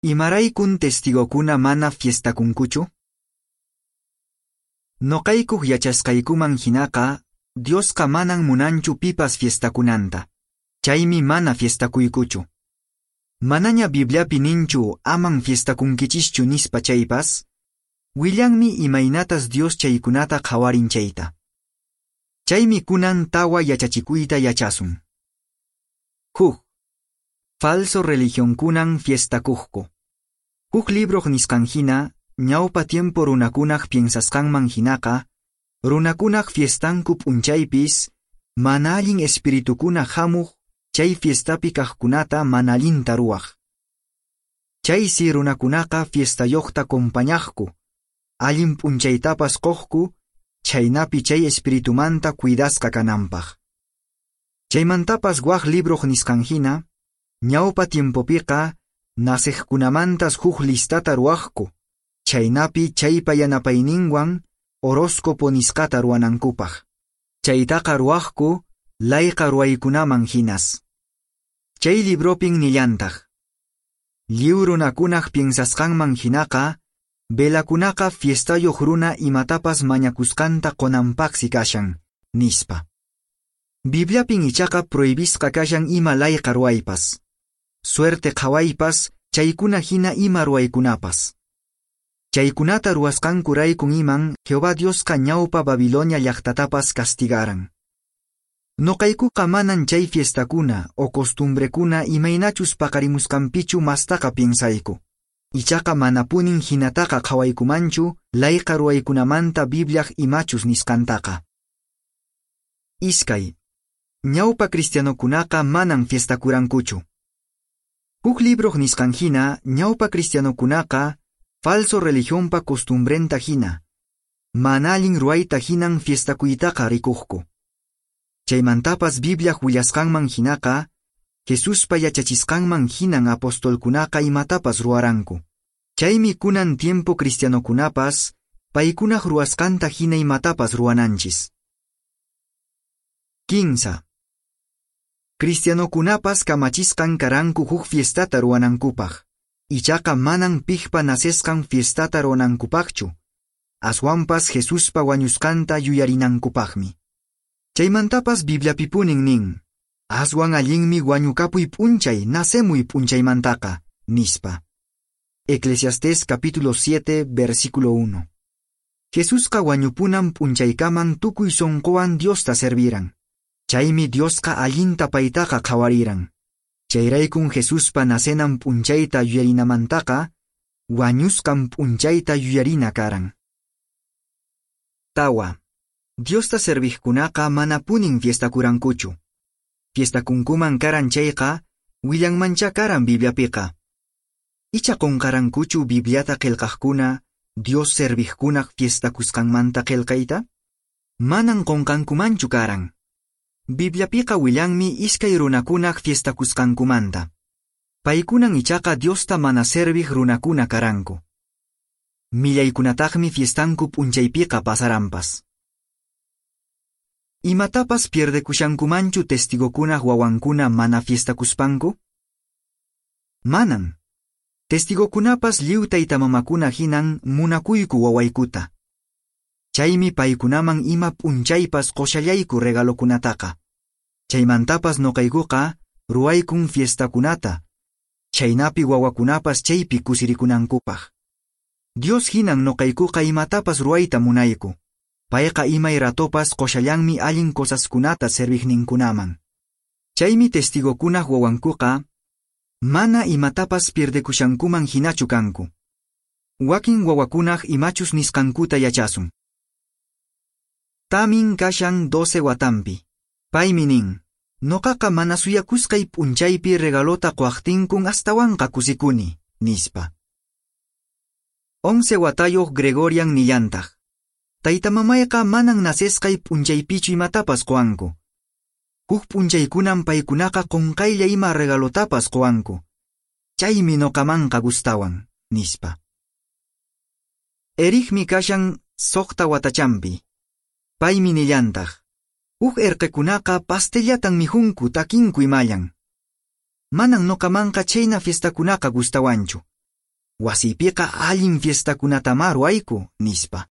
Imaraykun Testigokuna mana fiestakunkuchu? Noqaykuq yachasqaykuman hinaqa, Diosqa manan munanchu pipas fiestakunanta. Chaymi mana fiestakuykuchu. Manaña Bibliapi ninchu aman fiestakunkichischu nispa chaypas, willanmi imaynatas Dios chaykunata qhawarin chayta. Chaymi kunan tawa yachachikuyta yachasun. Huk. Falso religionkunan fiestakuqku. Huk libroq nisqan hina, ñawpa tiempo runakunaq piensasqanman hinaqa, runakunaq fiestanku p'unchaypis, mana allin espiritukuna hamuq chay fiestapi kaqkunata mana allinta ruwaq. Chaysi runakunaqa fiestayuqta compañaqku, allin p'unchaytapas quqku, chhaynapi chay espiritumanta cuidasqa kananpaq. Chaymantapas wak libroq nisqan hina, ñawpa tiempopiqa naceqkunamantas huk listata ruwaqku, chhaynapi chaypa yanapayninwan horóscopo nisqata ruwanankupaq. Chaytaqa ruwaqku layqa ruwaykunaman hinas. Chay libropin nillantaq. Lliw runakunaq piensasqanman hinaqa, velakunaqa fiestayuq runa imatapas mañakusqanta qunanpaqsi kashan, nispa. Bibliapin ichaqa prohibisqa kashan ima layqa ruwaypas. Suerte qhawaypas, chaykuna hina ima ruwaykunapas. Chaykunata ruwasqankuraykun iman Jehová Diosqa ñawpa Babilonia llaqtatapas castigaran. Noqaykuqa manan chay fiestakuna o costumbrekuna imaynachus paqarimusqanpichu mastaqa piensayku. Ichaqa manapunin hinataqa qhawaykumanchu layqa ruwaykunamanta Bibliaq imachus nisqantaqa. Iskay. Ñawpa cristianokunaqa manan fiestakurankuchu. Huk libroq nisqan hina, ñawpa cristianokunaqa falso religionpa costumbrenta hina, mana allin ruwayta hinan fiestakuytaqa rikuqku. Chaymantapas Bibliaq willasqanman hinaqa, Jesuspa yachachisqanman hinan apostolkunaqa imatapas ruwaranku. Chaymi kunan tiempo cristianokunapas paykunaq ruwasqanta hina imatapas ruwananchis. 15. Cristianokunapas kamachisqan karanku huk fiestata ruwanankupaq. Ichaqa manan piqpa nacesqan fiestata ruwanankupaqchu, aswanpas Jesuspa wañusqanta yuyarinankupaqmi. Chaymantapas Bibliapipunin nin, aswan allinmi wañukapuy p'unchay nacemuy p'unchaymantaqa, nispa. Eclesiastés capítulo 7, versículo 1. Jesusqa wañupunan p'unchaykaman tukuy sonqowan Diosta serviran. Chaymi Diosqa allinta paytaqa qhawariran. Chayraykun Jesuspa nacenan p'unchayta yuyarinamantaqa, wañusqan p'unchayta yuyarina karan. Tawa. Diosta serviqkunaqa manapunin fiestakurankuchu. Fiestakunkuman karan chayqa, willanmancha karan Bibliapiqa. Icha qunqarankuchu Bibliata qillqaqkuna, Dios serviqkunaq fiestakusqanmanta qillqayta? Manan qunqankumanchu karan. Bibliapiqa willanmi iskay runakunaq fiestakusqankumanta. Paykunan ichaqa Diosta mana serviq runakuna karanku. Millaykunataqmi fiestanku p'unchaypiqa pasaranpas. Imatapas pierdekushankumanchu testigokunaq wawankuna mana fiestakuspanku? Manan. Testigokunapas lliw taytamamakuna hinan munakuyku wawaykuta. Chaymi paykunaman ima p'unchaypas qushallayku regalokunataqa. Chaymantapas noqaykuqa ruwaykun fiestakunata, chhaynapi wawakunapas chaypi kusirikunankupaq. Dios hinan noqaykuqa imatapas ruwayta munayku. Payqa imay ratopas qushallanmi allin cosaskunata serviqninkunaman. Chaymi testigokunaq wawankuqa mana imatapas pierdekushankuman hinachu kanku. Wakin wawakunaq imachus nisqankuta yachasun. Tamin kashan 12 watanpi. Paymi nin, noqaqa mana suyakusqay p'unchaypi regalota quwaqtinkun astawanqa kusikuni, nispa. 11 watayuq Gregorian nillantaq. Taytamamayqa manan nacesqay p'unchaypichu imatapas quwanku. Huk p'unchaykunan paykunaqa qunqaylla ima regalotapas quwanku. Chaymi noqamanqa gustawan, nispa. Ericmi kashan 6 watachanpi. Paymi nillantaq. Huk erqekunaqa pastellatan mijunku takinku imallan. Manan noqamanqa chayna fiestakunaqa gustawanchu. Wasiypiqa allin fiestakunatamá ruwayku, nispa.